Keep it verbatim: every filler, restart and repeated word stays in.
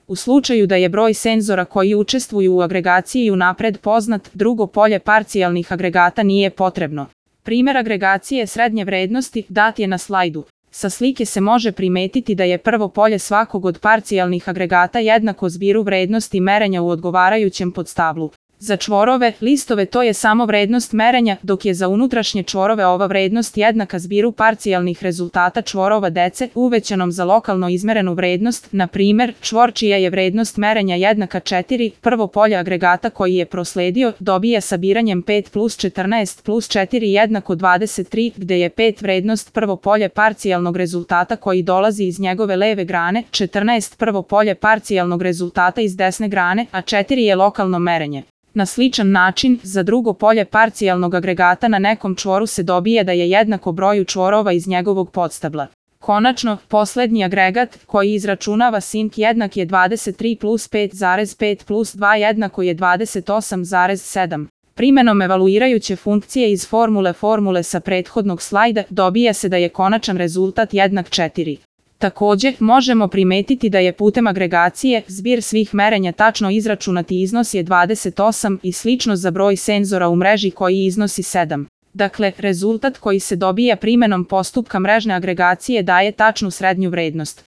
U slučaju da je broj senzora koji učestvuju u agregaciji unapred poznat, drugo polje parcijalnih agregata nije potrebno. Primer agregacije srednje vrednosti dat je na slajdu. Sa slike se može primetiti da je prvo polje svakog od parcijalnih agregata jednako zbiru vrednosti merenja u odgovarajućem podstablu. Za čvorove, listove to je samo vrednost merenja, dok je za unutrašnje čvorove ova vrednost jednaka zbiru parcijalnih rezultata čvorova dece uvećanom za lokalno izmerenu vrednost, na primer, čvor čija je vrednost merenja jednaka četiri, prvo polje agregata koji je prosledio, dobija sabiranjem pet plus četrnaest plus četiri jednako dvadeset tri, gde je pet vrednost prvo polje parcijalnog rezultata koji dolazi iz njegove leve grane, četrnaest prvo polje parcijalnog rezultata iz desne grane, a četiri je lokalno merenje. Na sličan način, za drugo polje parcijalnog agregata na nekom čvoru se dobije da je jednako broju čvorova iz njegovog podstabla. Konačno, poslednji agregat, koji izračunava sink jednak je dvadeset tri plus pet zarez pet plus dva jednako je dvadeset osam zarez sedam. Primenom evaluirajuće funkcije iz formule formule sa prethodnog slajda dobija se da je konačan rezultat jednak četiri. Takođe, možemo primetiti da je putem agregacije zbir svih merenja tačno izračunati iznos je dvadeset osam i slično za broj senzora u mreži koji iznosi sedam. Dakle, rezultat koji se dobija primenom postupka mrežne agregacije daje tačnu srednju vrednost.